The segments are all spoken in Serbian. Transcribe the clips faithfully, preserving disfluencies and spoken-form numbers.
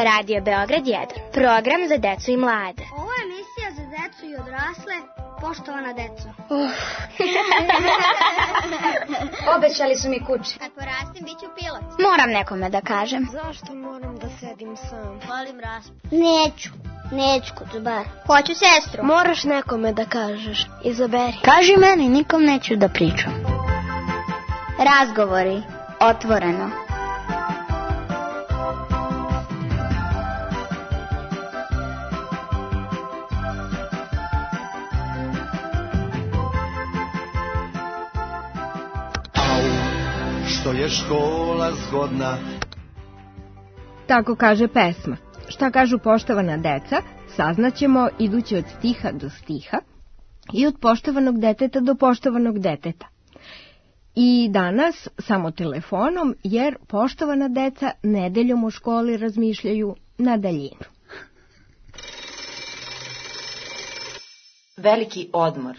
Radio Beograd jedan. Program za decu i mlade. Ovo je emisija za decu i odrasle. Poštovana deco. Uh. Obećali su mi kući. Kad porastim, bit ću pilot. Moram nekome da kažem. Zašto moram da sedim sam? Volim raspad. Neću. Neću kod bar. Hoću sestru. Moraš nekome da kažeš. Izaberi. Kaži meni, nikom neću da pričam. Razgovori. Otvoreno. Što je škola zgodna. Tako kaže pesma. Šta kažu poštovana deca, saznaćemo idući od stiha do stiha i od poštovanog deteta do poštovanog deteta. I danas samo telefonom, jer poštovana deca nedeljom u školi razmišljaju na daljinu. Veliki odmor.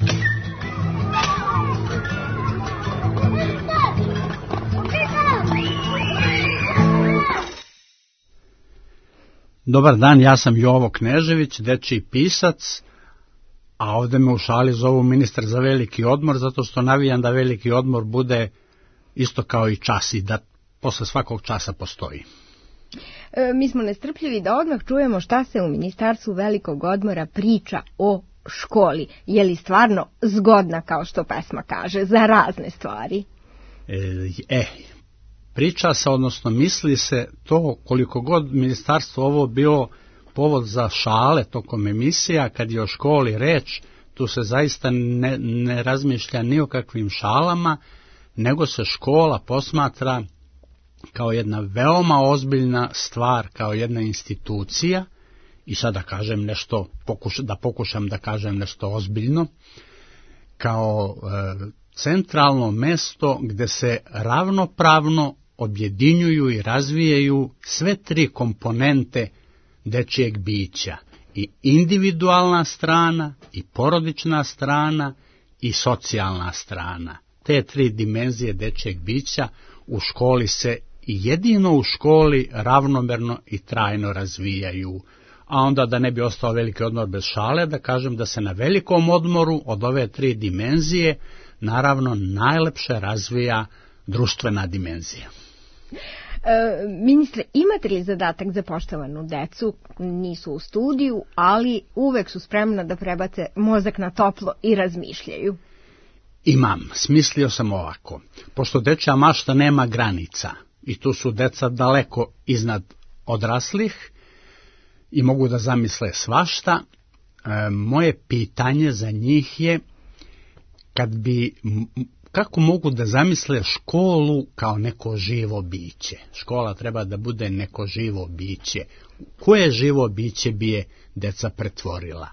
Dobar dan, ja sam Jovo Knežević, dečiji pisac, a ovde me u šali zovu ministar za veliki odmor, zato što navijam da veliki odmor bude isto kao i čas i da posle svakog časa postoji. E, mi smo nestrpljivi da odmah čujemo šta se u Ministarstvu velikog odmora priča o školi. Je li stvarno zgodna, kao što pesma kaže, za razne stvari? E, e priča se, odnosno misli se to, koliko god ministarstvo ovo bio povod za šale tokom emisija, kad je o školi reč, tu se zaista ne, ne razmišlja ni o kakvim šalama, nego se škola posmatra kao jedna veoma ozbiljna stvar, kao jedna institucija, i sada kažem nešto, pokuš, da pokušam da kažem nešto ozbiljno, kao e, centralno mesto gde se ravnopravno objedinjuju i razvijaju sve tri komponente dečijeg bića, i individualna strana, i porodična strana, i socijalna strana. Te tri dimenzije dečijeg bića u školi se i jedino u školi ravnomerno i trajno razvijaju. A onda, da ne bi ostao veliki odmor bez šale, da kažem da se na velikom odmoru od ove tri dimenzije naravno najlepše razvija društvena dimenzija. E, ministre, imate li zadatak za poštovanu decu? Nisu u studiju, ali uvek su spremna da prebace mozak na toplo i razmišljaju. Imam, smislio sam ovako. Pošto dečja mašta nema granica i tu su deca daleko iznad odraslih i mogu da zamisle svašta, e, moje pitanje za njih je kad bi... Kako mogu da zamisle školu kao neko živo biće? Škola treba da bude neko živo biće. Koje živo biće bi je deca pretvorila?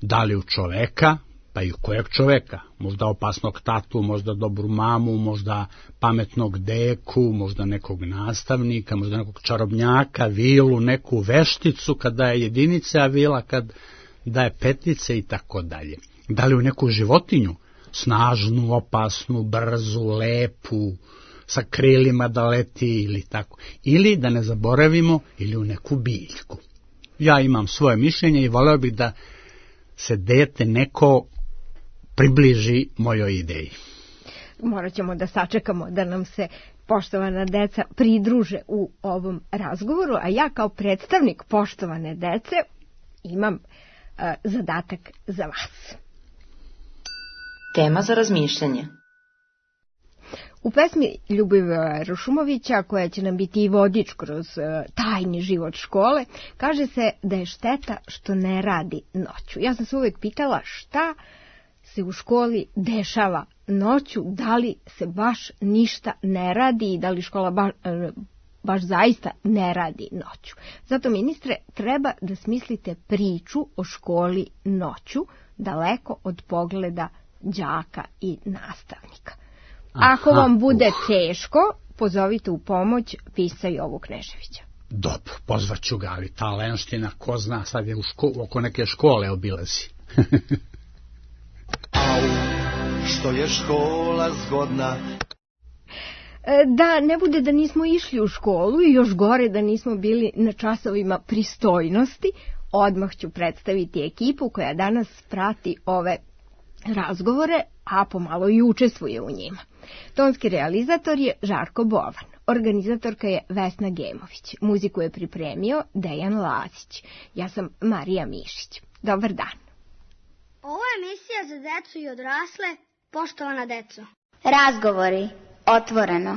Da li u čoveka, pa i u kojeg čoveka? Možda opasnog tatu, možda dobru mamu, možda pametnog deku, možda nekog nastavnika, možda nekog čarobnjaka, vilu, neku vešticu kad daje jedinice, a vila kad daje petice i tako dalje. Da li u neku životinju? Snažnu, opasnu, brzu, lepu, sa krilima da leti ili tako. Ili, da ne zaboravimo, ili u neku biljku. Ja imam svoje mišljenje i voleo bih da se dete neko približi mojoj ideji. Morat ćemo da sačekamo da nam se poštovana deca pridruže u ovom razgovoru, a ja kao predstavnik poštovane dece imam uh, zadatak za vas. Tema za razmišljanje. U pesmi Ljubivoja Rušumovića, koja će nam biti i vodič kroz uh, tajni život škole, kaže se da je šteta što ne radi noću. Ja sam se uvek pitala šta se u školi dešava noću, da li se baš ništa ne radi i da li škola ba, uh, baš zaista ne radi noću. Zato, ministre, treba da smislite priču o školi noću, daleko od pogleda đaka i nastavnika. Ako Aha, vam bude uh. teško, pozovite u pomoć pisca Jovu Kneževića. Dobro, pozvaću ga, ali ta lenština, ko zna, sad je u ško, oko neke škole obilazi. Au, što je škola zgodna. Da ne bude da nismo išli u školu i još gore da nismo bili na časovima pristojnosti, odmah ću predstaviti ekipu koja danas prati ove razgovore, a pomalo i učestvuje u njima. Tonski realizator je Žarko Bovan, organizatorka je Vesna Gemović, muziku je pripremio Dejan Lazić, ja sam Marija Mišić. Dobar dan. Ovo je emisija za decu i odrasle, poštovana deco. Razgovori. Otvoreno.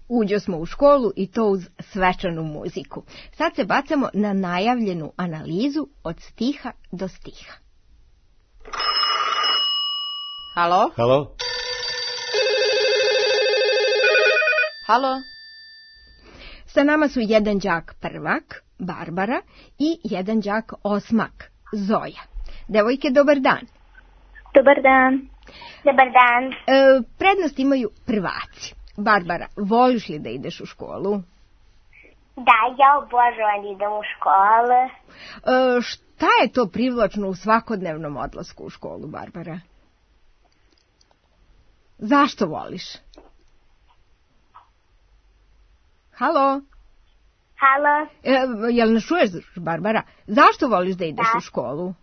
Uđo smo u školu i to uz svečanu muziku. Sad se bacamo na najavljenu analizu od stiha do stiha. Halo? Halo? Halo? Sa nama su jedan đak prvak, Barbara, i jedan đak osmak, Zoja. Devojke, dobar dan. Dobar dan. Dobar dan. E, prednost imaju prvaci. Barbara, voliš li da ideš u školu? Da, ja obožavam da idem u školu. E, šta je to privlačno u svakodnevnom odlasku u školu, Barbara? Zašto voliš? Halo? Halo? E, jel nas čuješ, Barbara? Zašto voliš da ideš Da. u školu?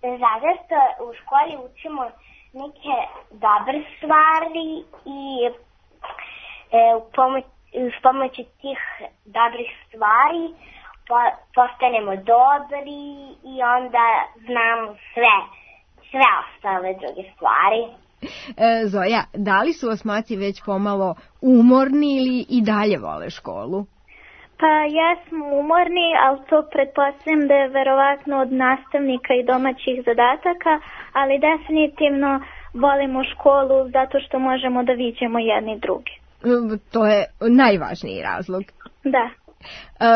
Zato što u školi učimo neke dobre stvari i e, u pomoć, uz pomoću tih dobrih stvari po, postanemo dobri i onda znamo sve, sve ostale druge stvari. E, Zoja, da li su osmaci već pomalo umorni ili i dalje vole školu? Pa jesmo umorni, ali to pretpostavljam da je verovatno od nastavnika i domaćih zadataka, ali definitivno volimo školu zato što možemo da viđemo jedni drugi. E, to je najvažniji razlog. Da. E,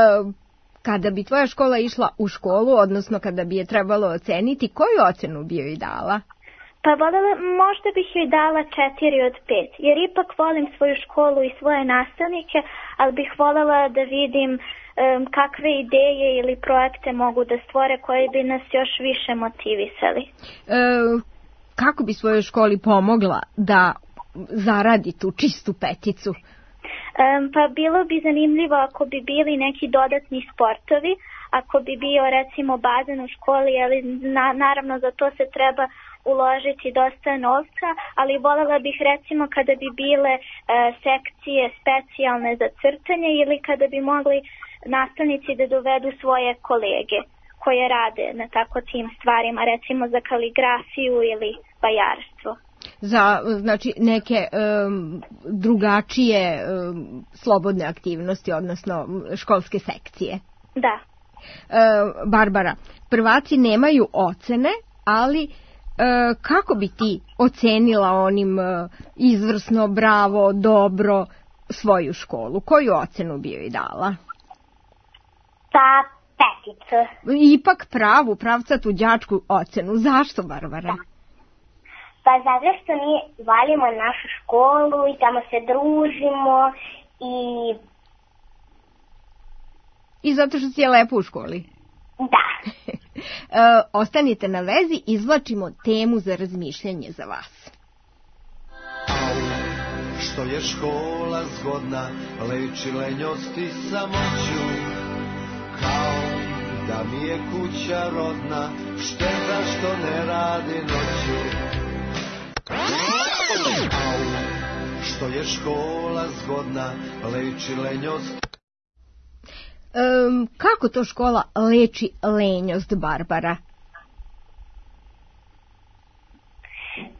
kada bi tvoja škola išla u školu, odnosno kada bi je trebalo oceniti, koju ocenu bi joj dala? Pa voljela, možda bih joj dala četiri od pet, jer ipak volim svoju školu i svoje nastavnike, ali bih voljela da vidim um, kakve ideje ili projekte mogu da stvore koji bi nas još više motivisali. E, kako bi svojoj školi pomogla da zaradi tu čistu peticu? Um, pa bilo bi zanimljivo ako bi bili neki dodatni sportovi, ako bi bio recimo bazen u školi, ali na, naravno za to se treba uložiti dosta novca, ali voljela bih recimo kada bi bile e, sekcije specijalne za crtanje ili kada bi mogli nastavnici da dovedu svoje kolege koje rade na tako tim stvarima, recimo za kaligrafiju ili vajarstvo. Za, znači, neke um, drugačije um, slobodne aktivnosti, odnosno školske sekcije. Da. Uh, Barbara, prvaci nemaju ocene, ali uh, kako bi ti ocenila onim uh, izvrsno, bravo, dobro svoju školu? Koju ocenu bi joj dala? Pa peticu. Ipak pravu, pravcatu đačku ocenu. Zašto, Barbara? Da. Pa zato što mi volimo našu školu i tamo se družimo i... I zato što si je lepo u školi? Da. e, ostanite na vezi, izvlačimo temu za razmišljanje za vas. Au, što je škola zgodna, leči lenjosti samoću, kao da mi je kuća rodna, šteta što ne radi noću. Au, što je škola zgodna, leči lenjost. Um, kako to škola leči lenjost, Barbara?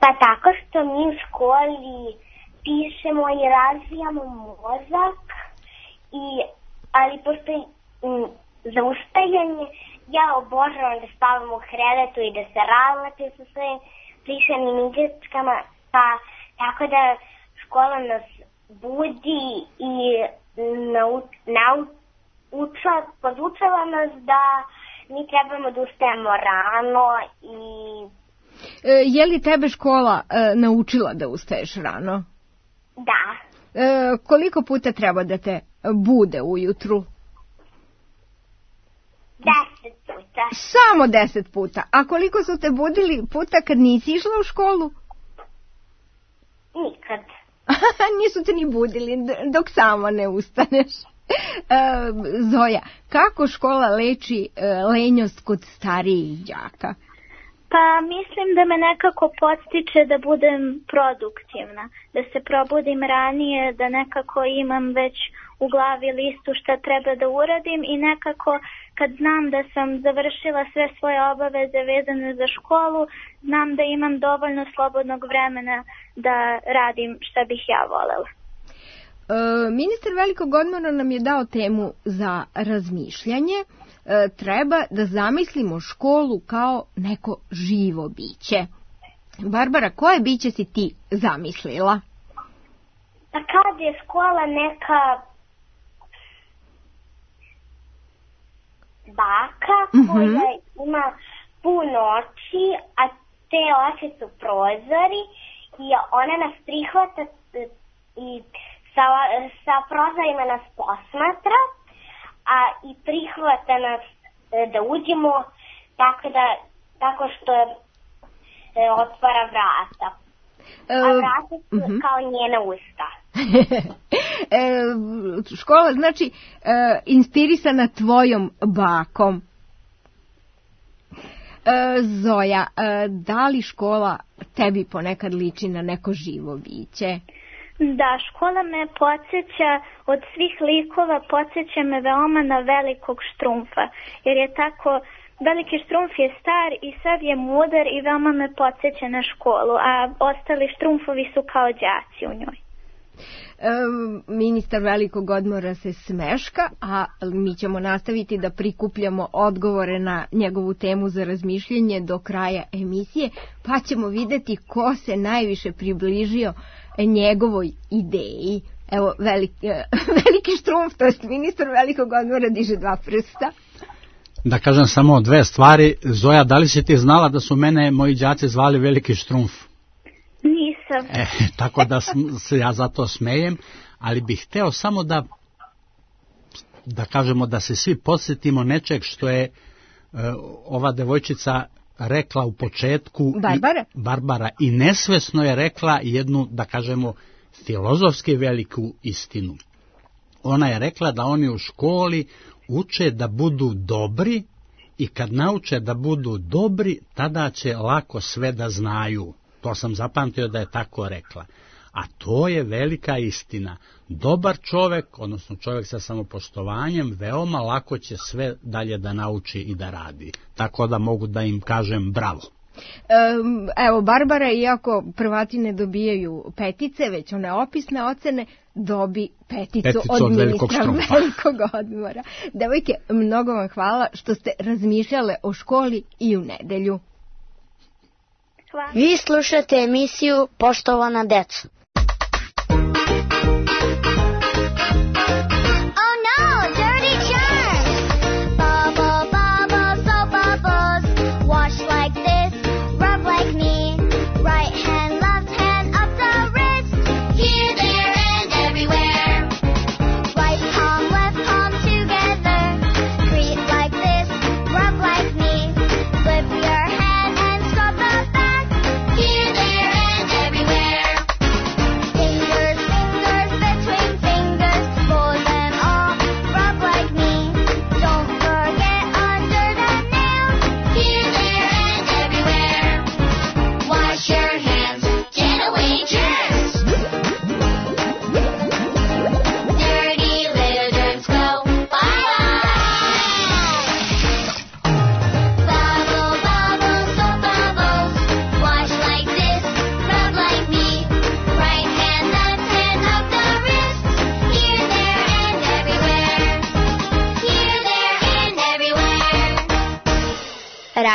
Pa tako što mi u školi pišemo i razvijamo mozak, i, ali pošto m, za ustajanje ja obožavam da spavam u krevetu i da se razlačim sa svojim plišanim igračkama, pa tako da škola nas budi i nau, nau, uča, podučava nas da mi trebamo da ustajemo rano i E, je li tebe škola e, naučila da ustaješ rano? Da. E, koliko puta treba da te bude ujutru? Deset puta. Samo deset puta. A koliko su te budili puta kad nisi išla u školu? Nikad. Nisu te ni budili dok sama ne ustaneš. E, Zoja, kako škola leči e, lenjost kod starijih đaka? Pa mislim da me nekako podstiče da budem produktivna, da se probudim ranije, da nekako imam već u glavi listu šta treba da uradim i nekako kad znam da sam završila sve svoje obaveze vezane za školu, znam da imam dovoljno slobodnog vremena da radim šta bih ja volela. E, ministar velikog odmora nam je dao temu za razmišljanje. E, treba da zamislimo školu kao neko živo biće. Barbara, koje biće si ti zamislila? Pa kad je škola neka baka koja mm-hmm. ima puno oči, a te oči su prozori i ona nas prihvata i sa, sa prozorima nas posmatra, a i prihvata nas da uđemo tako, da, tako što e, otvara vrata. A vrata su uh-huh. kao njena usta. e, škola znači e, inspirisana tvojom bakom. E, Zoja, e, da li škola tebi ponekad liči na neko živo biće? Da, škola me podsjeća od svih likova, podsjeća me veoma na velikog Štrumfa, jer je tako, veliki Štrumf je star i sav je mudar i veoma me podsjeća na školu, a ostali Štrumfovi su kao đaci u njoj. E, ministar velikog odmora se smeška, a mi ćemo nastaviti da prikupljamo odgovore na njegovu temu za razmišljanje do kraja emisije, pa ćemo videti ko se najviše približio njegovoj ideji. Evo, veliki, veliki Štrumf, to jest ministar velikog odmora, diže dva prsta. Da kažem samo dve stvari. Zoja, da li si ti znala da su mene moji đaci zvali veliki Štrumf? Nisam. E, tako da se ja zato smejem, ali bih hteo samo da da kažemo da se svi podsjetimo nečeg što je uh, ova devojčica rekla u početku. Barbara? I, Barbara i nesvesno je rekla jednu, da kažemo, filozofski veliku istinu. Ona je rekla da oni u školi uče da budu dobri i kad nauče da budu dobri, tada će lako sve da znaju. To sam zapamtio da je tako rekla. A to je velika istina. Dobar čovek, odnosno čovek sa samopoštovanjem, veoma lako će sve dalje da nauči i da radi. Tako da mogu da im kažem bravo. Evo, Barbara, iako prvati ne dobijaju petice, već one opisne ocene, dobi peticu, peticu od, od ministra velikog odmora. Devojke, mnogo vam hvala što ste razmišljale o školi i u nedelju. Hvala. Vi slušate emisiju Poštovana deco.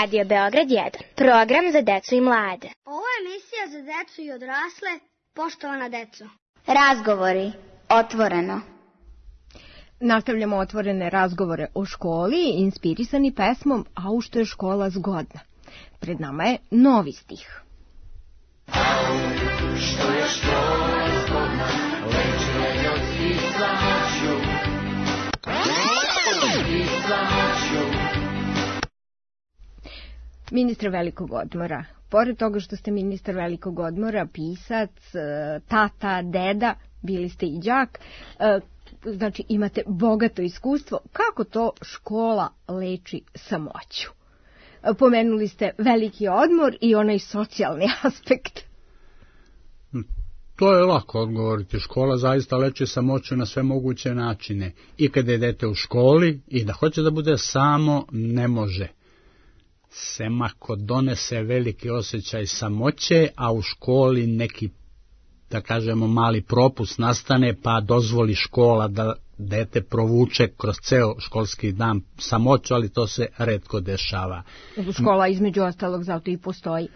Radio Beograd jedan. Program za decu i mlade. Ovo je emisija za decu i odrasle. Poštovana deco. Razgovori. Otvoreno. Nastavljamo otvorene razgovore o školi, inspirisani pesmom A u što je škola zgodna. pred nama je novi stih. Što je škola zgodna, leči lenjost i samoću, i samoću. Ministar velikog odmora. Pored toga što ste ministar velikog odmora, pisac, tata, deda, bili ste i đak, znači imate bogato iskustvo. Kako to škola leči samoću? Pomenuli ste veliki odmor i onaj socijalni aspekt. To je lako odgovoriti. Škola zaista leči samoću na sve moguće načine. I kada je dete u školi i da hoće da bude samo, ne može. Sem ako donese veliki osjećaj samoće, a u školi neki, da kažemo, mali propust nastane, pa dozvoli škola da dete provuče kroz ceo školski dan samoću, ali to se retko dešava. Škola između ostalog zato i postoji.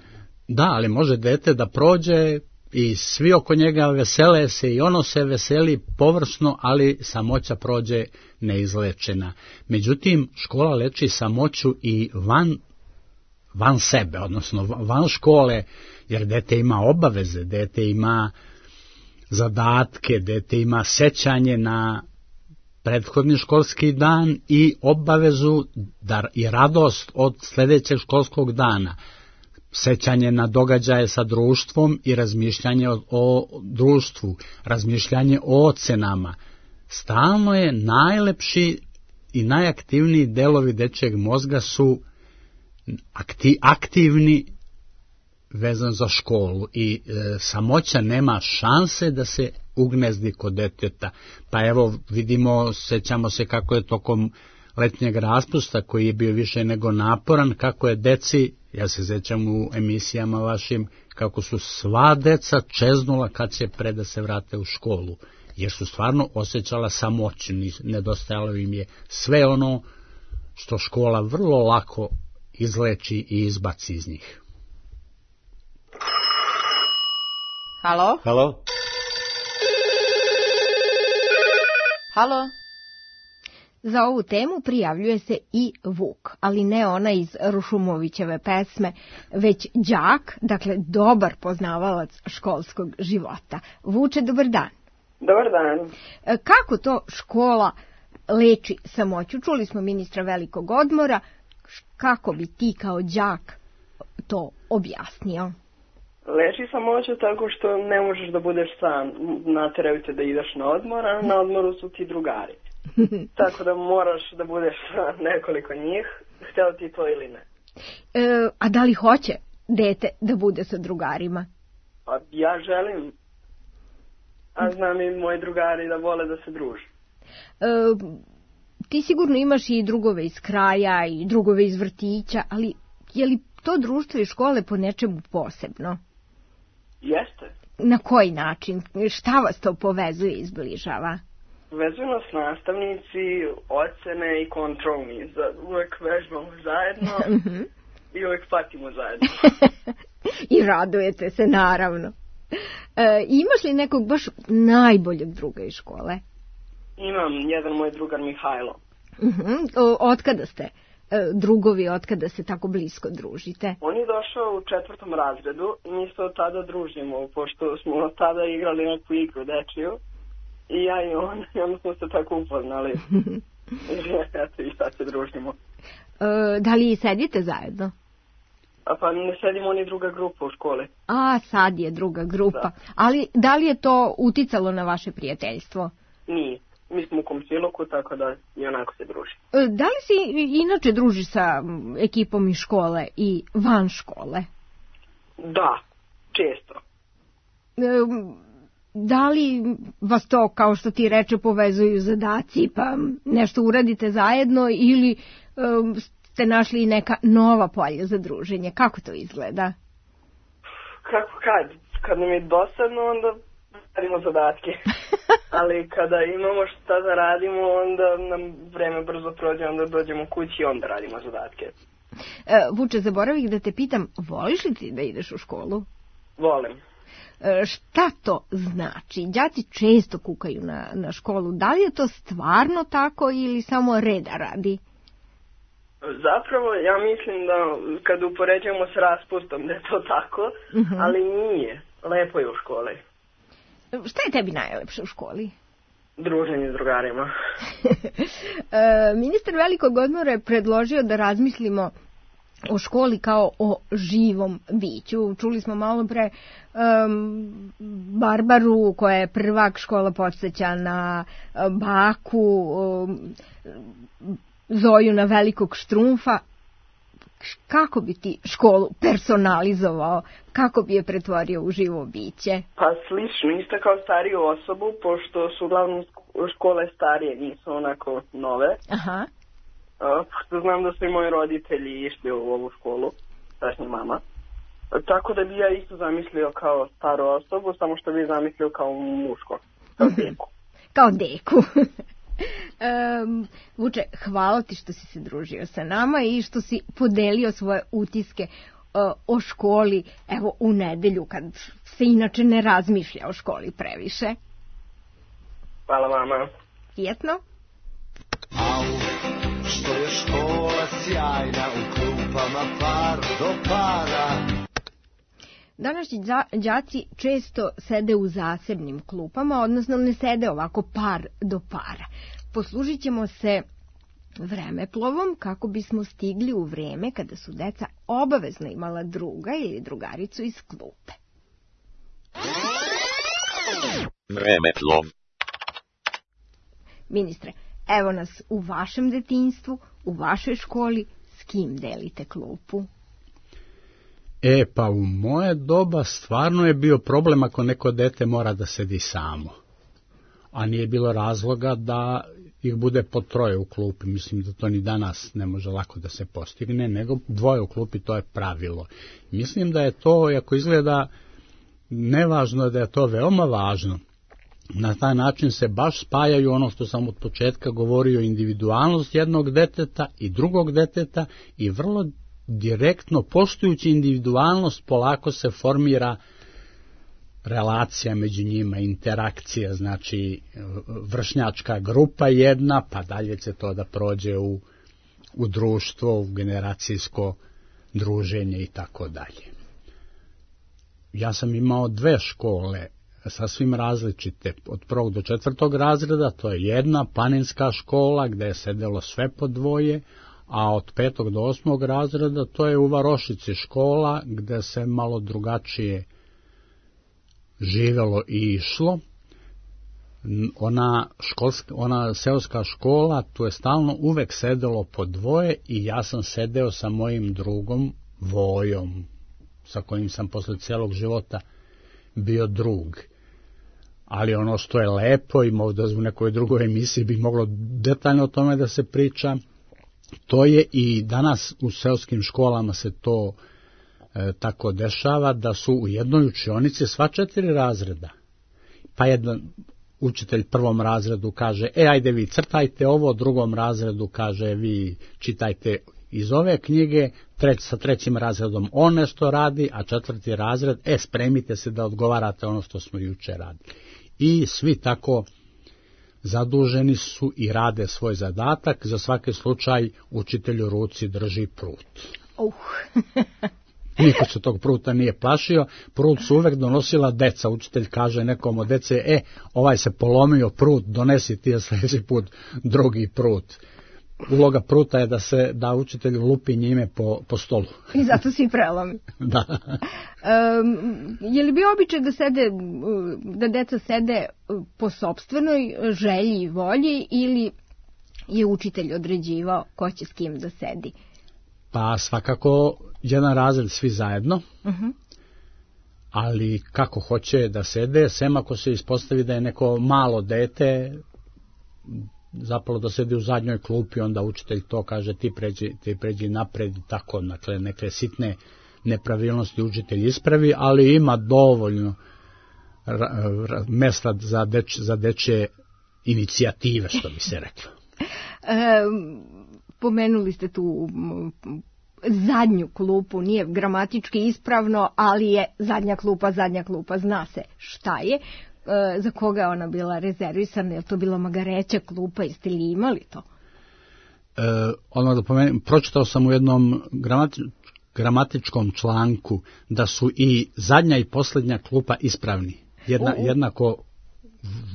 Da, ali može dete da prođe i svi oko njega vesele se i ono se veseli površno, ali samoća prođe neizlečena. Međutim, škola leči samoću i van van sebe, odnosno van škole, jer dete ima obaveze, dete ima zadatke, dete ima sećanje na prethodni školski dan i obavezu da i radost od sljedećeg školskog dana, sećanje na događaje sa društvom i razmišljanje o, o društvu, razmišljanje o ocenama. Stalno je najlepši i najaktivniji delovi dečjeg mozga su Akti, aktivni vezan za školu i e, samoća nema šanse da se ugnezdi kod deteta. Pa evo vidimo, sećamo se kako je tokom letnjeg raspusta, koji je bio više nego naporan, kako je deci, ja se sećam u emisijama vašim, kako su sva deca čeznula kad će pre da se vrate u školu, jer su stvarno osjećala samoću, nedostajalo im je sve ono što škola vrlo lako izleči i izbaci iz njih. Halo? Halo? Halo? Za ovu temu prijavljuje se i Vuk, ali ne ona iz Rušumovićeve pesme, već đak, dakle dobar poznavalac školskog života. Vuče, dobar dan. Dobar dan. Kako to škola leči samoću? Čuli smo ministra velikog odmora. Kako bi ti kao đak to objasnio? Leči samoću tako što ne možeš da budeš sam. Nateraju te da ideš na odmor, a na odmoru su ti drugari. Tako da moraš da budeš sa nekoliko njih, htjelo ti to ili ne. E, a da li hoće dete da bude sa drugarima? Pa ja želim. A znam i moji drugari da vole da se druže. E, ti sigurno imaš i drugove iz kraja i drugove iz vrtića, ali je li to društvo i škole po nečemu posebno? Jeste. Na koji način? Šta vas to povezuje i izbližava? Vezuju nas nastavnici, ocene i kontrolni. Uvek vežbamo zajedno i uvek patimo zajedno. I radujete se, naravno. E, imaš li nekog baš najboljeg druga iz škole? Imam jedan moj drugar Mihajlo. Uh-huh. Otkada ste drugovi, otkada se tako blisko družite? On je došao u četvrtom razredu i mi se od tada družimo, pošto smo od tada igrali neku igru dečiju. I ja i on, i onda smo se tako upoznali. Eto, i sad se družimo. E, da li sedite zajedno? A pa ne sedimo, oni druga grupa u školi. A, sad je druga grupa. Da. Ali da li je to uticalo na vaše prijateljstvo? Nije. Mi smo u komšiluku, tako da i onako se druži. E, da li si inače družiš sa ekipom iz škole i van škole? Da, često. E, Da li vas to, kao što ti reče, povezuju zadaci, pa nešto uradite zajedno, ili um, ste našli neka nova polja za druženje? Kako to izgleda? Kako kad? Kad nam je dosadno, onda radimo zadatke. Ali kada imamo šta da radimo, onda nam vreme brzo prođe, onda dođemo kući i onda radimo zadatke. E, Vuče, zaboravih da te pitam, voliš li ti da ideš u školu? Volim. Šta to znači? Đaci često kukaju na, na školu. Da li je to stvarno tako ili samo reda radi? Zapravo, ja mislim da kad upoređujemo s raspustom da je to tako, uh-huh. ali nije. Lepo je u školi. Šta je tebi najlepše u školi? Druženje s drugarima. e, ministar velikog odmora je predložio da razmislimo o školi kao o živom biću. Čuli smo malo pre um, Barbaru koja je prvak, škola podsjeća na um, baku, um, Zoju na velikog Štrumfa. Kako bi ti školu personalizovao? Kako bi je pretvorio u živo biće? Pa slično, isto kao stariju osobu, pošto su uglavnom škole starije, nisu onako nove. Aha. Pošto znam da su i moji roditelji išli u ovu školu, tačnije mama. Tako da bi ja isto zamislio kao staru osobu, samo što bi zamislio kao muško, kao deku. Kao deku. Um, Vuče, hvala ti što si se družio sa nama i što si podelio svoje utiske uh, o školi, evo, u nedelju, kad se inače ne razmišlja o školi previše. Hvala vama. Prijetno. Au, što je škola sjajna, u klupama par do para. Današnji đaci često sede u zasebnim klupama, odnosno ne sede ovako par do para. Poslužit ćemo se vremeplovom kako bismo stigli u vreme kada su deca obavezno imala druga ili drugaricu iz klupe. Vremeplov. Ministre, evo nas u vašem detinjstvu, u vašoj školi, s kim delite klupu? E, pa u moje doba stvarno je bio problem ako neko dete mora da sedi samo. A nije bilo razloga da ih bude po troje u klupi. Mislim da to ni danas ne može lako da se postigne, nego dvoje u klupi, to je pravilo. Mislim da je to, ako izgleda nevažno, da je to veoma važno. Na taj način se baš spajaju ono što sam od početka govorio, individualnost jednog deteta i drugog deteta i vrlo direktno, poštujući individualnost, polako se formira relacija među njima, interakcija, znači vršnjačka grupa jedna, pa dalje će to da prođe u, u društvo, u generacijsko druženje i tako dalje. Ja sam imao dve škole, sasvim različite, od prvog do četvrtog razreda, to je jedna planinska škola gde je sedelo sve po dvoje, a od petog do osmog razreda to je u Varošici škola gde se malo drugačije živelo i išlo. Ona, školska, ona seoska škola, tu je stalno uvek sedelo po dvoje i ja sam sedeo sa mojim drugom Vojom, sa kojim sam posle celog života bio drug. Ali ono što je lepo i možda u nekoj drugoj emisiji bi moglo detaljno o tome da se priča, to je i danas u seoskim školama se to e, tako dešava da su u jednoj učionici sva četiri razreda. Pa jedan učitelj prvom razredu kaže, e ajde vi crtajte ovo, drugom razredu kaže vi čitajte iz ove knjige, treć, sa trećim razredom on nešto radi, a četvrti razred, e spremite se da odgovarate ono što smo juče radili. I svi tako zaduženi su i rade svoj zadatak, za svaki slučaj učitelj u ruci drži prut. Uh. Niko se tog pruta nije plašio, prut su uvek donosila deca, učitelj kaže nekom od dece, e, ovaj se polomio prut, donesi ti je sljedeći put drugi prut. Uloga pruta je da se da učitelj lupi njime po, po stolu. I zato svi prelomi. Da. Um, je li bio običaj da sede, da deca sede po sopstvenoj želji i volji ili je učitelj određivao ko će s kim da sedi? Pa svakako jedan razred svi zajedno, uh-huh. ali kako hoće da sede, sem ako se ispostavi da je neko malo dete zapalo da sedi u zadnjoj klupi, onda učitelj to kaže ti pređi, ti pređi napred, tako, dakle, neke sitne nepravilnosti učitelj ispravi, ali ima dovoljno ra, ra, mesta za, deč, za dečje inicijative, što bi se reklo. e, pomenuli ste tu zadnju klupu, nije gramatički ispravno, ali je zadnja klupa, zadnja klupa, zna se šta je. E, za koga je ona bila rezervisana, je li to bila magareća klupa, jeste li imali to? ono da pomenem, pročitao sam u jednom gramati, gramatičkom članku da su i zadnja i posljednja klupa ispravni. Jedna, uh, uh. Jednako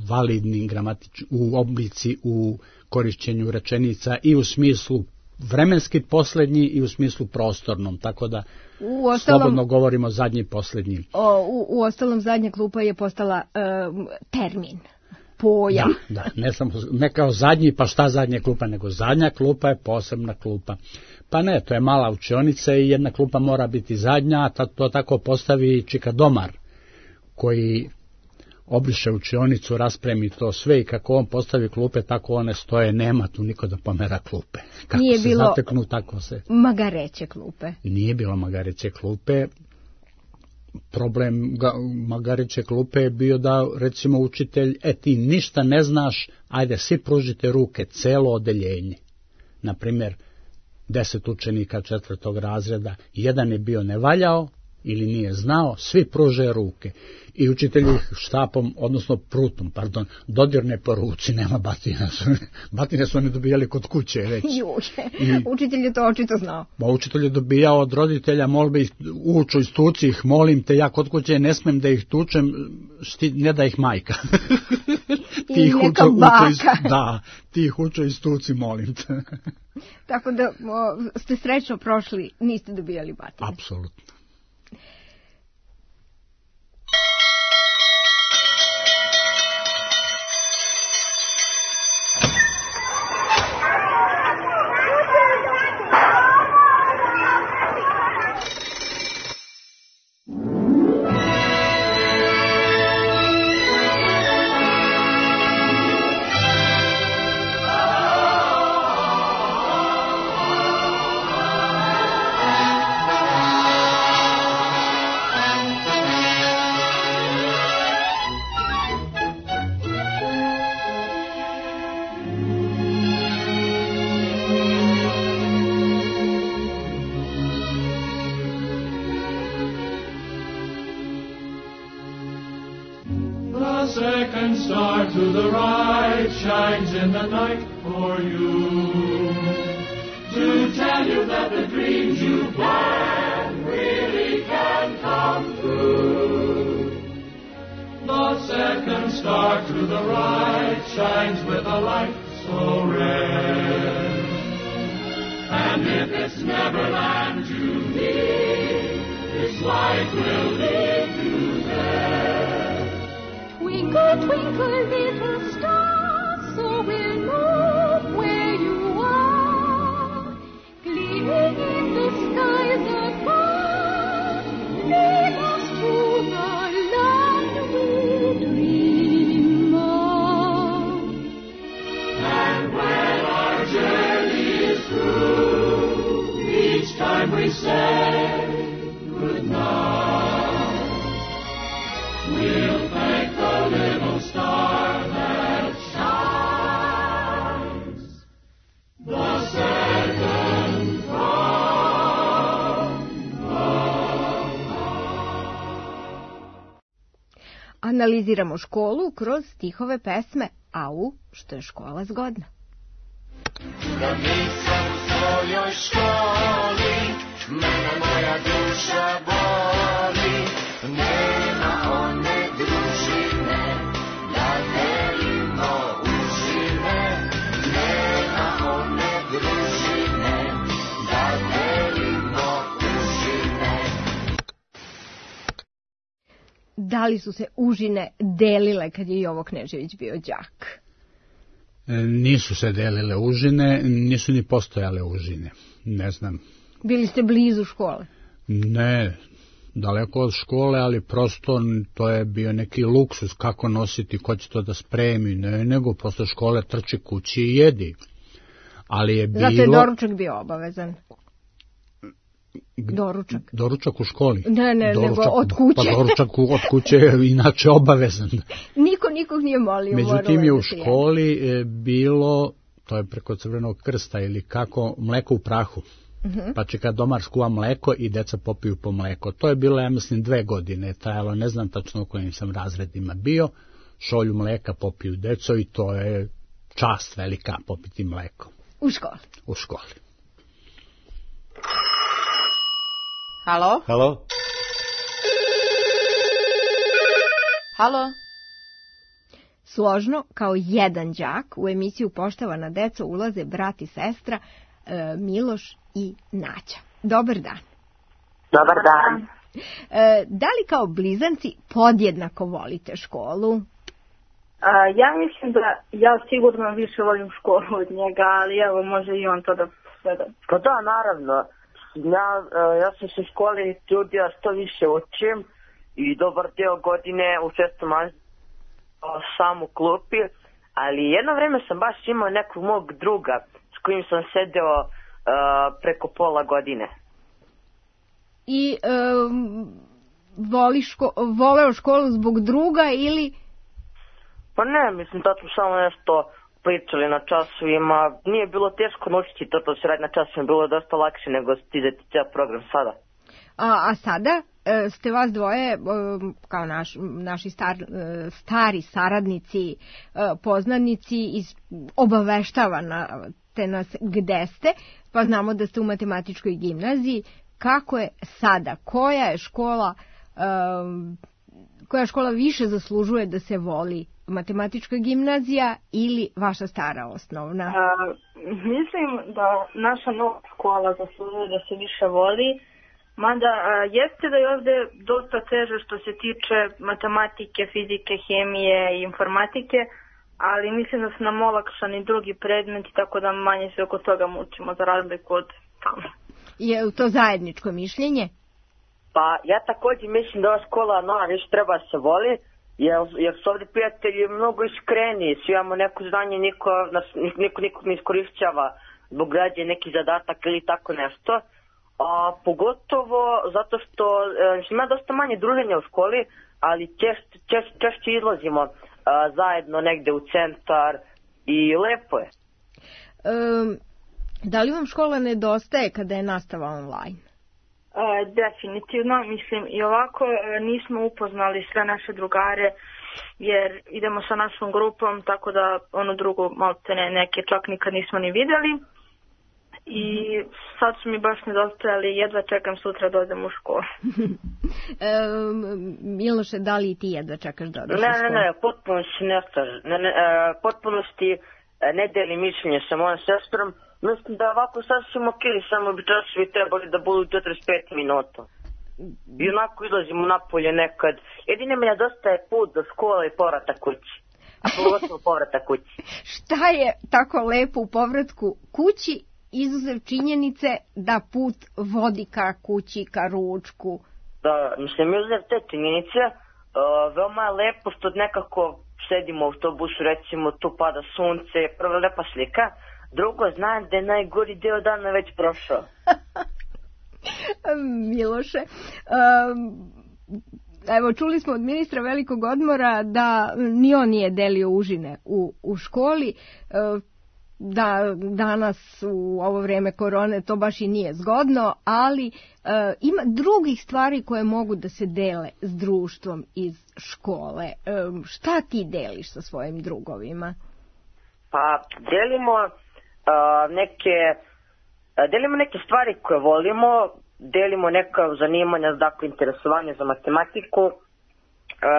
validni gramatič, u oblici, u korišćenju rečenica i u smislu vremenski posljednji i u smislu prostornom, tako da u ostalom, slobodno govorimo zadnji i posljednji. O, u, u ostalom zadnja klupa je postala um, termin. Pojam. Da, da, ne, sam, ne kao zadnji, pa šta zadnja klupa, nego zadnja klupa je posebna klupa. Pa ne, to je mala učionica i jedna klupa mora biti zadnja, a to tako postavi čika domar, koji obriše učionicu, raspremi to sve i kako on postavi klupe, tako one stoje, nema tu niko da pomera klupe. Kako nije se bilo zateknu, tako se... magareće klupe. Nije bilo magareće klupe. Problem ga, magareće klupe je bio da, recimo, učitelj, e ti ništa ne znaš, ajde, svi pružite ruke, celo odeljenje. Naprimjer, deset učenika četvrtog razreda, jedan je bio nevaljao ili nije znao, svi pruže ruke. I učitelj ih štapom, odnosno prutom, pardon, dodirne po ruci, nema batina. Batine su oni dobijali kod kuće već. Juče, učitelj je to očito znao. Ba, učitelj je dobijao od roditelja molbe, uču iz tuci ih, molim te, ja kod kuće ne smem da ih tučem, šti, ne da ih majka. I ih neka uču, baka. Uču iz, da, ti ih uču iz tuci, molim te. Tako da o, ste srećno prošli, niste dobijali batine. Apsolutno. In the night for you, to tell you that the dreams you plan really can come true. The second star to the right shines with a light so red, and if it's Neverland you need, this light will lead you there. Twinkle, twinkle, little star, so we'll know where you are, gleaming in the skies above, lead us to the land we dream of. And when our journey is through, each time we say goodnight, we'll thank the little star that shines. Analiziramo školu kroz stihove pesme Au, što je škola zgodna. Da nisam u svojoj školi, mene moja duša boli, nema one družine, da delimo užine, nema one družine, da delimo užine. Da li su se užine delile kad je Jovo Knežević bio đak? Nisu se delile užine, nisu ni postojale užine, ne znam. Bili ste blizu škole? Ne, daleko od škole, ali prosto to je bio neki luksus, kako nositi, ko će to da spremi, ne, nego posle škole trči kući i jedi. Ali je bilo... Zato je doručak bio obavezan. Doručak. Doručak u školi? Ne, ne, doručak, nego od kuće. Pa doručak od kuće je inače obavezan. Niko nikog nije molio. Međutim je u školi je bilo, to je preko Crvenog krsta ili kako, mleko u prahu. Uh-huh. Pa će kad domar skuva mleko i deca popiju po mleko. To je bilo, ja mislim, dve godine trajalo, ne znam tačno u kojim sam razredima bio. Šolju mleka popiju deco i to je čast velika popiti mleko. U školi. U školi. Halo? Halo? Halo? Složno, kao jedan đak, u emisiju Poštovana deco ulaze brat i sestra e, Miloš i Nađa. Dobar dan. Dobar dan. E, da li kao blizanci podjednako volite školu? A, ja mislim da ja sigurno više volim školu od njega, ali evo može i on to da sve. Pa da, naravno. Ja, ja sam se u školi trudio što više učim i dobar deo godine u šestom razredu sam u klupi, ali jedno vreme sam baš imao nekog mog druga s kojim sam sedeo uh, preko pola godine. I um, voli ško, voleo školu zbog druga ili... Pa ne, mislim da smo samo nešto pričali na časovima. Nije bilo teško naučiti to, to se radi na časovima, bilo je dosta lakše nego stizati cijel program sada. A, a sada e, ste vas dvoje, e, kao naš, naši star, e, stari saradnici, e, poznanici, iz, obaveštavate nas gde ste, pa znamo da ste u matematičkoj gimnaziji. Kako je sada? Koja je škola, e, koja škola više zaslužuje da se voli? Matematička gimnazija ili vaša stara osnovna? A, mislim da naša nova škola zaslužuje da se više voli. Mada a, jeste da je ovde dosta teže što se tiče matematike, fizike, hemije i informatike, ali mislim da su nam olakšani drugi predmeti, tako da manje se oko toga mučimo za razliku od tamo. Je to zajedničko mišljenje? Pa ja također mislim da ova škola nova više treba se voli, jer, jer su ovdje prijatelji mnogo iskreniji, svi imamo neko znanje, niko, nas, niko nikog ne iskorišćava zbog građe neki zadatak ili tako nešto. A pogotovo zato što e, ima dosta manje druženja u školi, ali češće češ, češ izlazimo a, zajedno negde u centar i lepo je. Um, da li vam škola nedostaje kada je nastava online? E, definitivno, mislim i ovako e, nismo upoznali sve naše drugare jer idemo sa našom grupom, tako da onu drugu maltene neke čak nikad nismo ni vidjeli. I sad su mi baš nedostajali, jedva čekam sutra da odem u školu. e, Miloše, da li ti jedva čekaš da odeš ne, u školu? Ne, ne, potpuno si ne, ne, ne, potpuno si ne deli mišljenje sa mojom sestrom. Mislim da ovako sasvim ok, samo bi časovi trebali da budu četrdeset pet minuta. I onako izlazimo napolje nekad. Jedine me nedostaje put do škole i povratak kući. A pogotovo povratak kući. Šta je tako lepo u povratku kući, izuzev činjenice da put vodi ka kući, ka ručku? Da, mislim, izuzev te činjenice, uh, veoma je lepo što nekako sedimo u autobusu, recimo tu pada sunce, prva lepa slika. Drugo, znam da je najgori deo dana već prošao. Miloše, um, evo čuli smo od ministra velikog odmora da ni on nije delio užine u, u školi, uh, da danas u ovo vrijeme korone to baš i nije zgodno, ali uh, ima drugih stvari koje mogu da se dele s društvom iz škole. Um, šta ti deliš sa svojim drugovima? Pa delimo uh, neke uh, delimo neke stvari koje volimo, delimo neka zanimanja, dakle interesovanje za matematiku. Uh,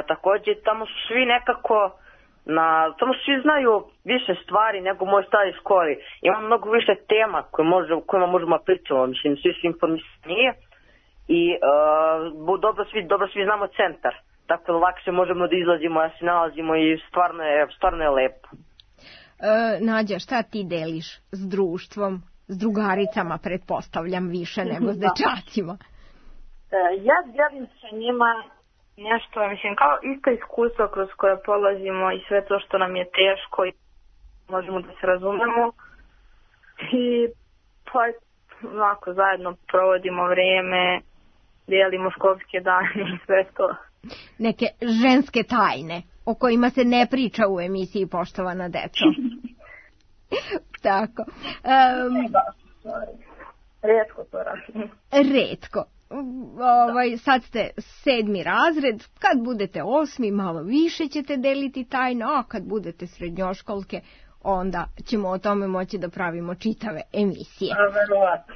također tamo su svi nekako na, tamo svi znaju više stvari nego u mojoj staroj školi. Ima mnogo više tema koje može, kojima možemo pričati, mislim, svi su informisani i uh, dobro, svi, dobro svi znamo centar, tako da lakše možemo da izlazimo, da se nalazimo i stvarno je, stvarno je lepo. E, Nađa, šta ti deliš s društvom, s drugaricama, pretpostavljam više nego s dečacima? E, ja delim sa njima nešto, mislim, kao isto iskustvo kroz koje polazimo i sve to što nam je teško i možemo da se razumemo. I pa ovako zajedno provodimo vrijeme, dijelimo školske dane i sve to. Neke ženske tajne o kojima se ne priča u emisiji Poštovana deco. Tako. Um, Retko to radim. Retko. Ovaj, sad ste sedmi razred, kad budete osmi malo više ćete deliti tajno, a kad budete srednjoškolke onda ćemo o tome moći da pravimo čitave emisije. A, verovatno.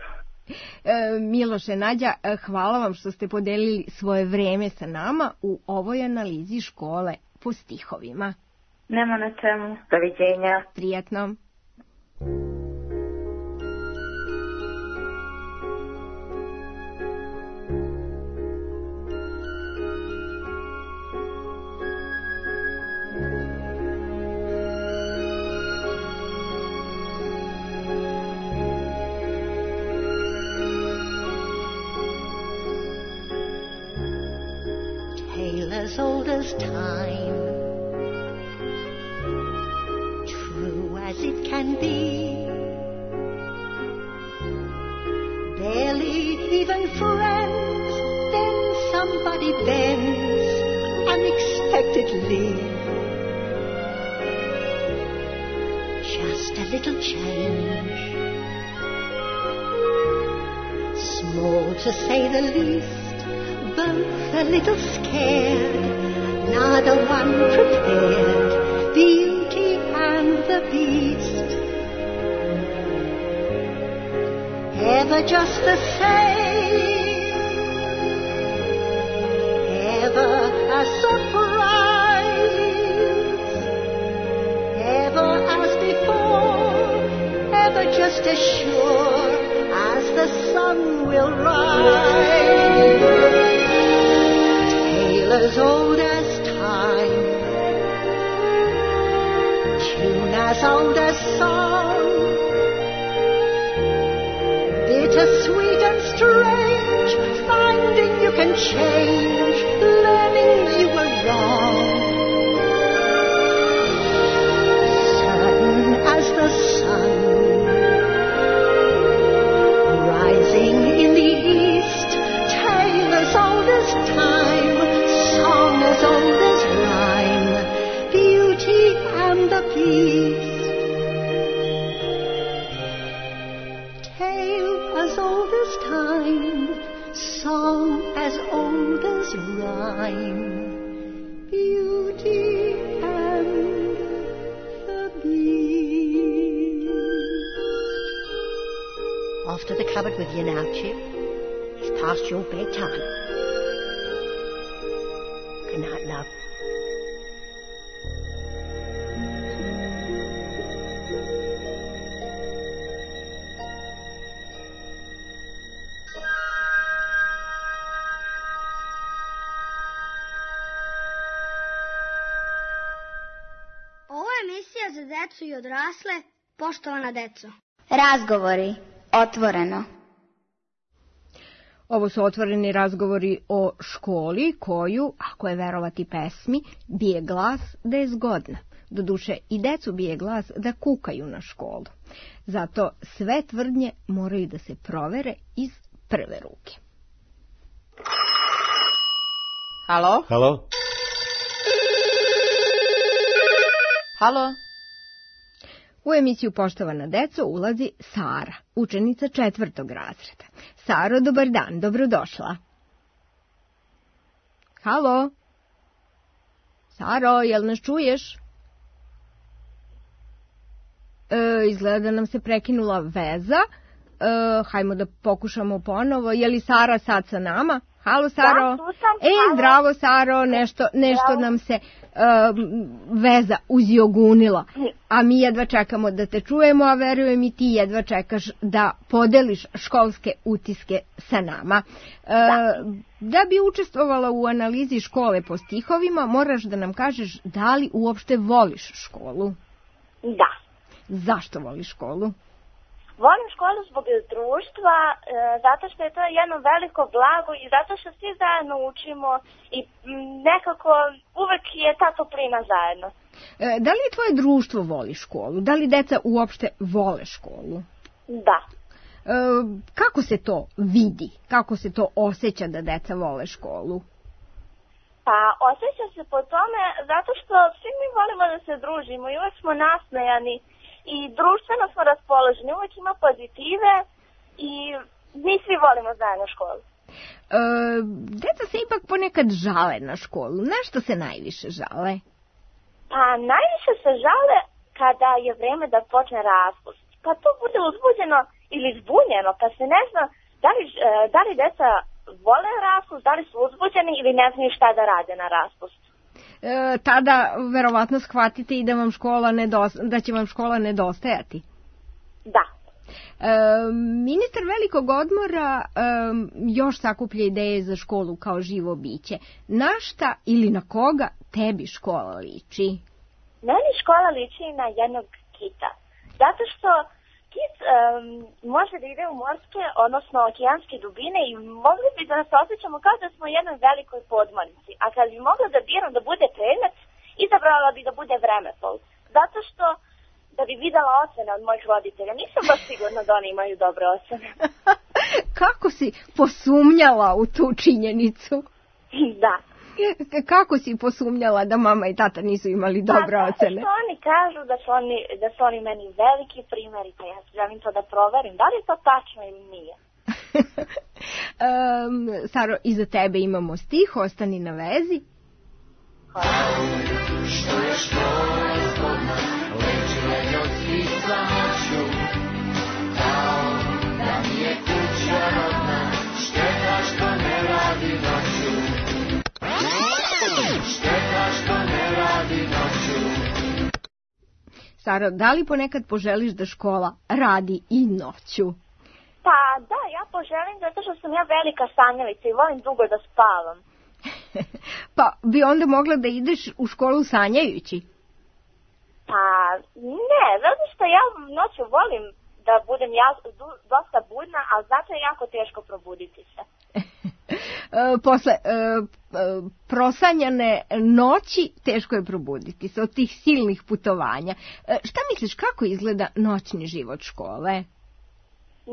E, Miloše, Nađa, hvala vam što ste podelili svoje vreme sa nama u ovoj analizi škole po stihovima. Nema na čemu. Doviđenja. Prijatno. As old as time, true as it can be, barely even friends, then somebody bends unexpectedly. Just a little change, small to say the least, both a little scared, neither one prepared, Beauty and the Beast. Ever just the same, ever a surprise, ever as before, ever just as sure as the sun will rise. As old as time, tune as old as song, bittersweet and strange, finding you can change, learning you were wrong. Certain as the sun, rising in the east, tale as old as time, as old as rhyme, Beauty and the Beast. Tale as old as time, song as old as rhyme, Beauty and the Beast. Off to the cupboard with you now, Chip. It's past your bedtime. Good night, love. Ovo je emisija za decu i odrasle, poštovana deco. Razgovori, otvoreno. Ovo su otvoreni razgovori o školi koju, ako je verovati pesmi, bije glas da je zgodna. Doduše i decu bije glas da kukaju na školu. Zato sve tvrdnje moraju da se provere iz prve ruke. Halo? Halo? Halo? U emisiju Poštovana deco ulazi Sara, učenica četvrtog razreda. Saro, dobar dan, dobrodošla. Halo? Saro, jel nas čuješ? E, izgleda da nam se prekinula veza. E, hajmo da pokušamo ponovo. Je li Sara sad sa nama? Halo, Saro? Da, tu sam. E, zdravo, Saro, nešto, nešto Zdravo. nam se uh, veza uzjogunila. A mi jedva čekamo da te čujemo, a verujem i ti jedva čekaš da podeliš školske utiske sa nama. Uh, Da. da bi učestvovala u analizi škole po stihovima, moraš da nam kažeš da li uopšte voliš školu. Da. Zašto voliš školu? Volim školu zbog društva, e, zato što je to jedno veliko blago i zato što svi zajedno učimo i m, nekako uvek je ta toplina zajedno. E, da li tvoje društvo voli školu? Da li deca uopšte vole školu? Da. E, kako se to vidi? Kako se to osjeća da deca vole školu? Pa osjeća se po tome zato što svi mi volimo da se družimo i uvek smo nasmejani i društveno smo raspoloženi, uvek ima pozitive i mi svi volimo zajedno školu. E, deca se ipak ponekad žale na školu. Na što se najviše žale? Pa najviše se žale kada je vreme da počne raspust. Pa to bude uzbuđeno ili zbunjeno, pa se ne zna da li, da li deca vole raspust, da li su uzbuđeni ili ne znaju šta da rade na raspustu. E, tada verovatno shvatite i da, vam škola nedosta, da će vam škola nedostajati. Da. E, ministar velikog odmora e, još sakuplja ideje za školu kao živo biće. Na šta ili na koga tebi škola liči? Meni škola liči na jednog kita. Zato što kit um, može da ide u morske, odnosno okeanske dubine i mogli bi da nas osjećamo kao da smo u jednoj velikoj podmornici. A kad bi mogla da biram da bude predmet, izabrala bi da bude vremeplov. Zato što da bi videla ocene od mojih roditelja. Nisam baš sigurna da oni imaju dobre ocene. Kako si posumnjala u tu činjenicu? Da. Kako si posumnjala da mama i tata nisu imali dobre pa, ocene? Što oni kažu da su oni, da su oni meni veliki primjeri, pa ja želim to da proverim. Da li je to tačno ili nije? um, Saro, iza tebe imamo stih, ostani na vezi. Hvala. Što je škola zgodna, leče od svih samoću, kao da mi je kuća rodna, šteta što ne radi noću. Šteta što ne radi noću. Saro, da li ponekad poželiš da škola radi i noću? Pa da, ja poželim zato što sam ja velika sanjalica i volim dugo da spavam. Pa bi onda mogla da ideš u školu sanjajući? Pa ne, zato što ja noću volim da budem ja, dosta budna, a zato je jako teško probuditi se. Posle e, prosanjane noći teško je probuditi se od tih silnih putovanja. E, šta misliš, kako izgleda noćni život škole?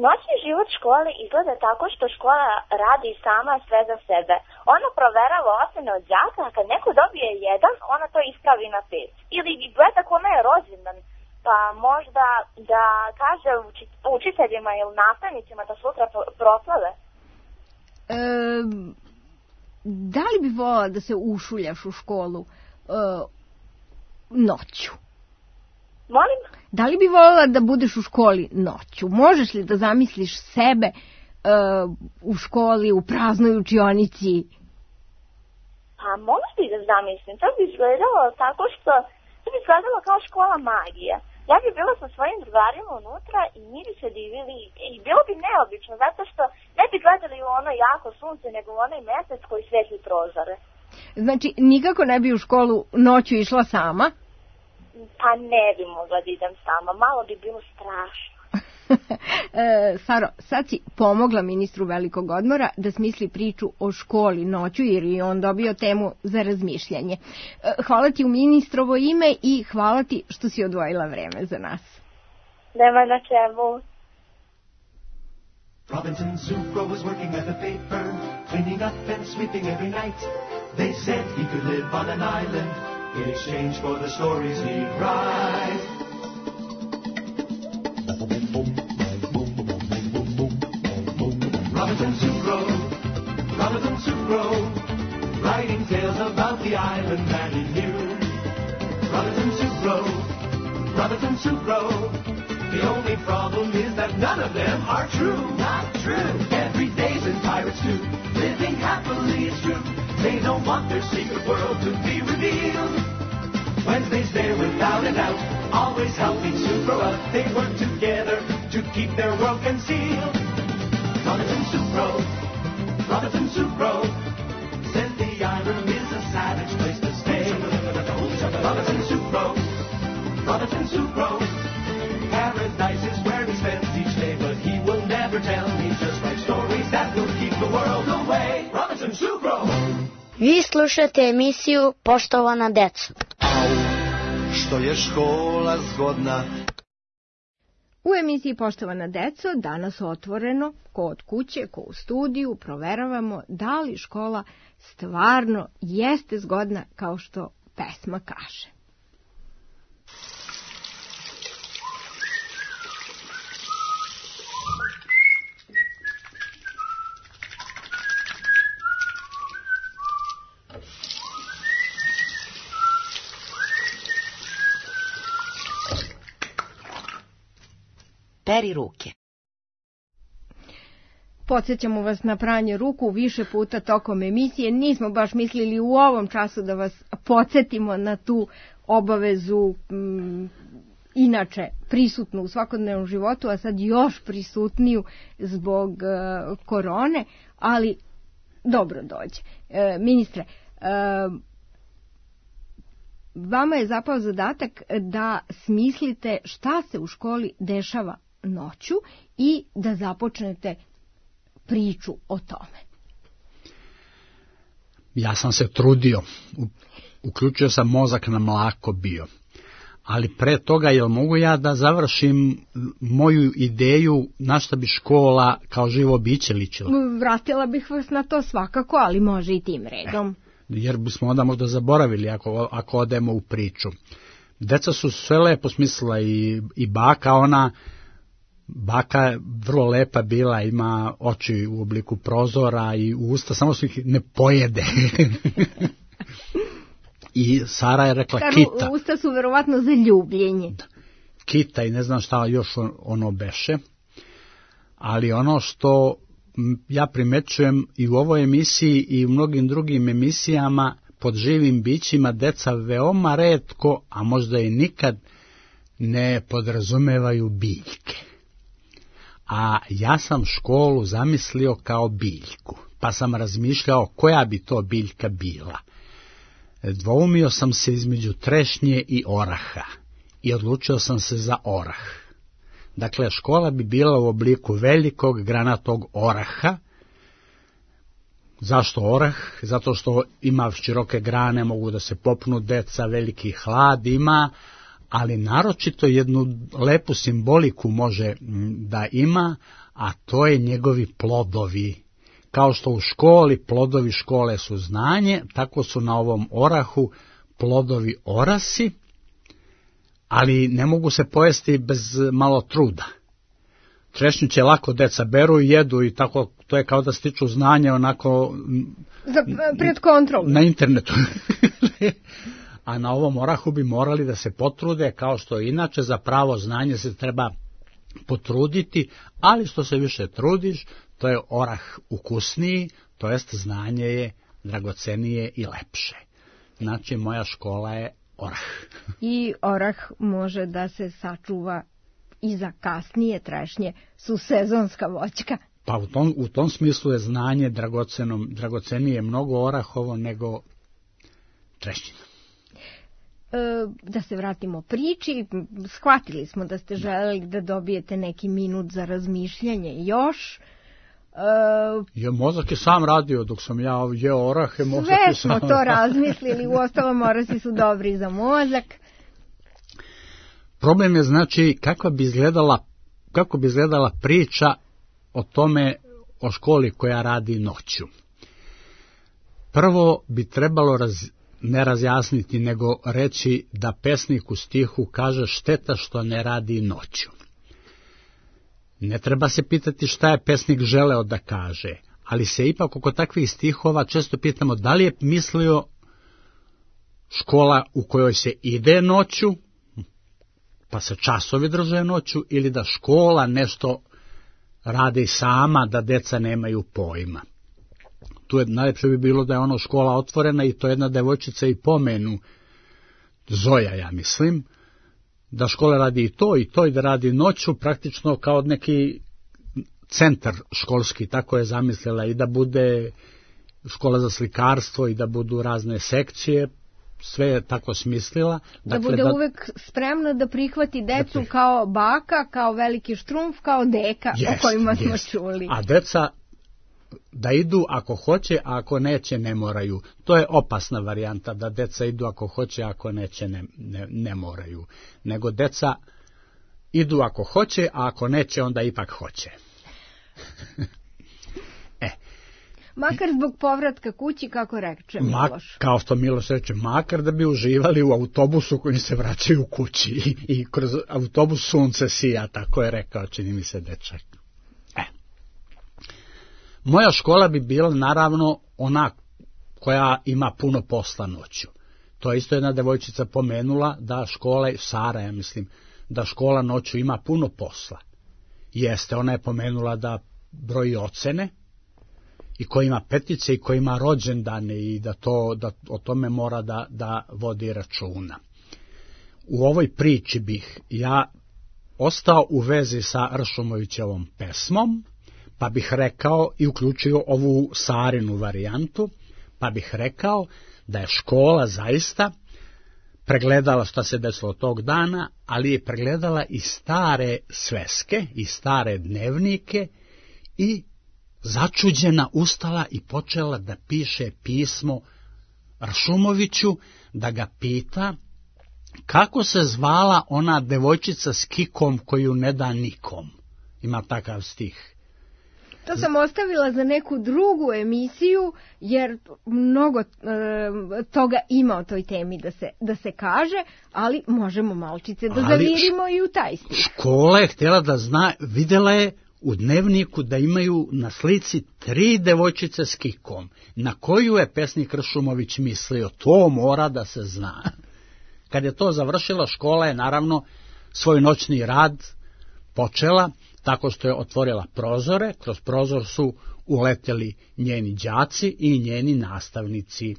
Noćni život škole izgleda tako što škola radi sama sve za sebe. Ona proverava ocene od đaka, a kad neko dobije jedan, ona to ispravi na pet. Ili gleda kome je rođendan, pa možda da kaže učiteljima ili nastavnicima da sutra proslave. E, da li bi volila da se ušuljaš u školu e, noću? Molim? Da li bi volila da budeš u školi noću? Možeš li da zamisliš sebe e, u školi, u praznoj učionici? Pa mogu bi da zamislim. To bi izgledalo tako što to bi izgledalo kao škola magije. Ja bi bila sa svojim drugarima unutra i mi bi se divili i bilo bi neobično zato što ne bi gledali u ono jako sunce nego u onaj mesec koji svetli prozore. Znači nikako ne bi u školu noću išla sama? Pa ne bi mogla da idem sama, malo bi bilo strašno. e, Saro, sad si pomogla ministru velikog odmora da smisli priču o školi noću jer je on dobio temu za razmišljanje. E, hvala ti u ministrovo ime i hvala ti što si odvojila vreme za nas. Nema na čemu. Robinson Sucro was working at the paper, cleaning up and sweeping every night. They said he could live on an island in exchange for the stories he'd write. Robinson Sucro, Robinson Sucro, writing tales about the island that he knew. Robinson Sucro, Robinson Sucro, the only problem is that none of them are true. Not true. Every day's in pirates too, living happily it's true. They don't want their secret world to be revealed. Wednesday's there without a doubt, always helping Sucro out. They work together to keep their world concealed. Robinson Sucro, Robinson Sucro, says the island is a savage place to stay. Robinson Sucro, Robinson Sucro, paradise is where he spends each day, but he will never tell. He just writes stories that will keep the world away. Robinson Sucro. Vi slušate emisiju Poštovana deco. Što je škola zgodna. U emisiji Poštovana deco danas otvoreno, ko od kuće, ko u studiju, proveravamo da li škola stvarno jeste zgodna kao što pesma kaže. peri ruke. Podsjećamo vas na pranje ruku više puta tokom emisije. Nismo baš mislili u ovom času da vas podsjetimo na tu obavezu m, inače prisutnu u svakodnevnom životu, a sad još prisutniju zbog uh, korone, ali dobro dođe. E, ministre, e, vama je zapao zadatak da smislite šta se u školi dešava noću i da započnete priču o tome. Ja sam se trudio, uključio sam mozak na mlako bio, ali pre toga jel mogu ja da završim moju ideju na šta bi škola kao živo biće ličila? Vratila bih vas na to svakako, ali može i tim redom. Jer bismo onda možda zaboravili ako, ako odemo u priču. Deca su sve lepo smislila i, i baka, ona baka je vrlo lepa bila, ima oči u obliku prozora i usta, samo su ih ne pojede. I Sara je rekla Karu, kita. Usta su verovatno za ljubljenje. Kita i ne znam šta još ono beše. Ali ono što ja primećujem i u ovoj emisiji i u mnogim drugim emisijama pod živim bićima, deca veoma retko, a možda i nikad, ne podrazumevaju biljke. A ja sam školu zamislio kao biljku, pa sam razmišljao koja bi to biljka bila. Dvoumio sam se između trešnje i oraha i odlučio sam se za orah. Dakle, škola bi bila u obliku velikog granatog oraha. Zašto orah? Zato što ima široke grane, mogu da se popnu deca, veliki hlad ima, ali naročito jednu lepu simboliku može da ima, a to je njegovi plodovi. Kao što u školi plodovi škole su znanje, tako su na ovom orahu plodovi orasi, ali ne mogu se pojesti bez malo truda. Trešnju će lako deca beru i jedu i tako, to je kao da stiču znanje onako za, pred kontrolu na internetu. A na ovom orahu bi morali da se potrude, kao što inače za pravo znanje se treba potruditi, ali što se više trudiš, to je orah ukusniji, to jest znanje je dragocenije i lepše. Znači, moja škola je orah. I orah može da se sačuva i za kasnije trešnje, su sezonska voćka. Pa u tom, u tom smislu je znanje dragocenom, dragocenije mnogo orahovo nego trešnjina. E, da se vratimo priči, shvatili smo da ste želeli da dobijete neki minut za razmišljanje još. E, je, mozak je sam radio dok sam ja jeo orahe. Sve smo to razmislili, uostalom orasi su dobri za mozak. Problem je znači kako bi izgledala, kako bi izgledala priča o tome, o školi koja radi noću. Prvo bi trebalo raz, ne razjasniti, nego reći da pesnik u stihu kaže šteta što ne radi noću. Ne treba se pitati šta je pesnik želeo da kaže, ali se ipak oko takvih stihova često pitamo da li je mislio škola u kojoj se ide noću, pa se časovi drže noću, ili da škola nešto radi sama, da deca nemaju pojma. Tu je najlepše bi bilo da je ono škola otvorena i to jedna devojčica i pomenu, Zoja, ja mislim, da škola radi i to i to i da radi noću, praktično kao neki centar školski, tako je zamislila, i da bude škola za slikarstvo i da budu razne sekcije, sve je tako smislila. Da dakle, bude da, uvek spremna da prihvati decu da prih... kao baka, kao veliki štrumf, kao deka, jest, o kojima smo jest. čuli. A deca da idu ako hoće, a ako neće ne moraju. To je opasna varijanta, da deca idu ako hoće, a ako neće ne, ne, ne moraju. Nego deca idu ako hoće, a ako neće onda ipak hoće. e. Makar zbog povratka kući, kako reče Miloš. Ma, kao što Miloš reče, makar da bi uživali u autobusu koji se vraćaju kući i, i kroz autobus sunce sija, tako je rekao, čini mi se dečak. E. Moja škola bi bila naravno ona koja ima puno posla noću. To je isto jedna devojčica pomenula da škola, Sara ja mislim, da škola noću ima puno posla. Jeste, ona je pomenula da broji ocene i ko ima petice i ko ima rođendane i da, to, da o tome mora da, da vodi računa. U ovoj priči bih ja ostao u vezi sa Ršumovićevom pesmom, pa bih rekao i uključio ovu Sarinu varijantu, pa bih rekao da je škola zaista pregledala šta se desilo tog dana, ali je pregledala i stare sveske, i stare dnevnike i začuđena ustala i počela da piše pismo Ršumoviću, da ga pita kako se zvala ona devojčica s kikom koju ne da nikom. Ima takav stih. To sam ostavila za neku drugu emisiju, jer mnogo e, toga ima o toj temi da se, da se kaže, ali možemo malčice da zavirimo i u taj stih. Škola je htjela da zna, videla je u dnevniku da imaju na slici tri devojčice s kikom. Na koju je pesnik Ršumović mislio? To mora da se zna. Kad je to završila, škola je naravno svoj noćni rad počela tako što je otvorila prozore, kroz prozor su uleteli njeni đaci i njeni nastavnici.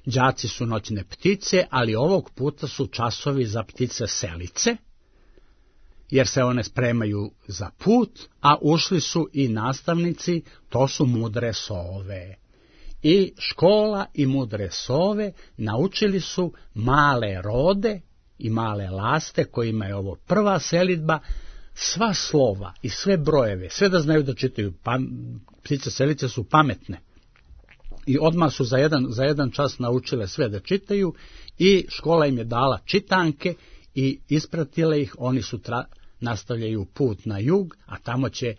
Đaci su noćne ptice, ali ovog puta su časovi za ptice selice, jer se one spremaju za put, a ušli su i nastavnici, to su mudre sove. I škola i mudre sove naučili su male rode i male laste, kojima je ovo prva selidba, sva slova i sve brojeve, sve da znaju da čitaju. Pa, ptice selice su pametne i odmah su za jedan, za jedan čas naučile sve da čitaju i škola im je dala čitanke i ispratile ih. Oni sutra nastavljaju put na jug, a tamo će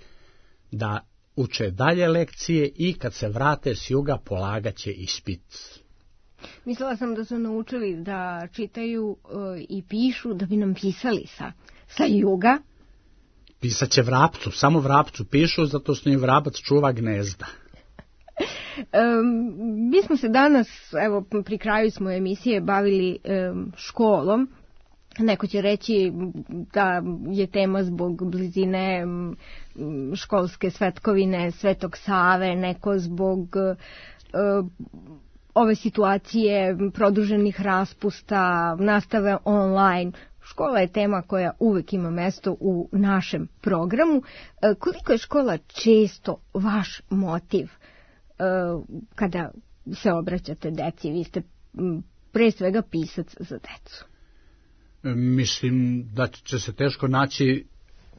da uče dalje lekcije i kad se vrate s juga polagaće ispit. Mislila sam da su naučili da čitaju uh, i pišu da bi nam pisali sa, sa juga. Pisat će vrapcu, samo vrapcu pišu, zato što im vrabac čuva gnezda. Um, mi smo se danas, evo pri kraju smo emisije, bavili um, školom. Neko će reći da je tema zbog blizine um, školske svetkovine Svetog Save, neko zbog um, ove situacije produženih raspusta, nastave online. Škola je tema koja uvek ima mesto u našem programu. E, koliko je škola često vaš motiv e, kada se obraćate deci? Vi ste m, pre svega pisac za decu. Mislim da će se teško naći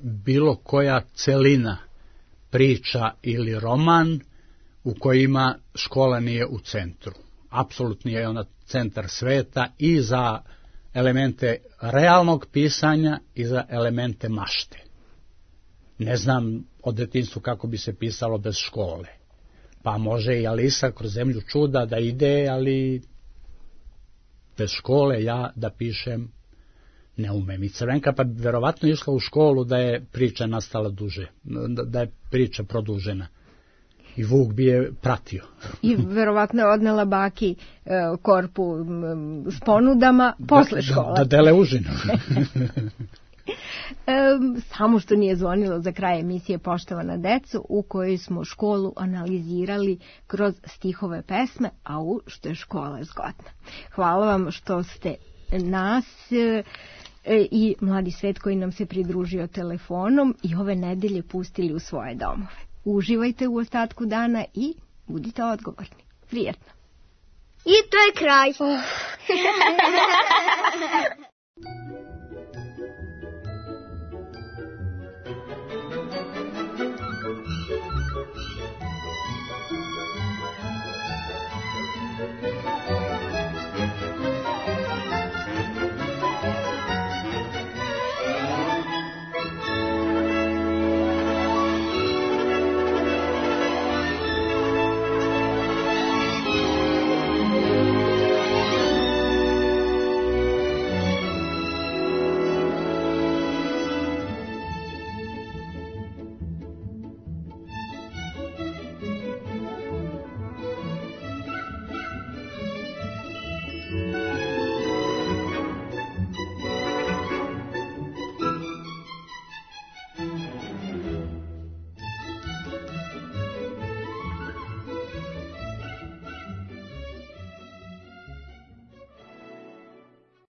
bilo koja celina, priča ili roman u kojima škola nije u centru. Apsolutno je ona centar sveta i za elemente realnog pisanja i za elemente mašte. Ne znam od detinjstva kako bi se pisalo bez škole. Pa može i Alisa kroz zemlju čuda da ide, ali bez škole ja da pišem ne umem. I Crvenka pa bi verovatno išla u školu da je priča nastala duže, da je priča produžena. I Vuk bi je pratio. I verovatno je odnela baki e, korpu m, s ponudama posle škola. Da, da dele užinu. e, samo što nije zvonilo za kraj emisije Poštovana deco, u kojoj smo školu analizirali kroz stihove pesme, a u što je škola zgodna. Hvala vam što ste nas e, i mladi svet koji nam se pridružio telefonom i ove nedelje pustili u svoje domove. Uživajte u ostatku dana i budite odgovorni. Prijetno. I to je kraj.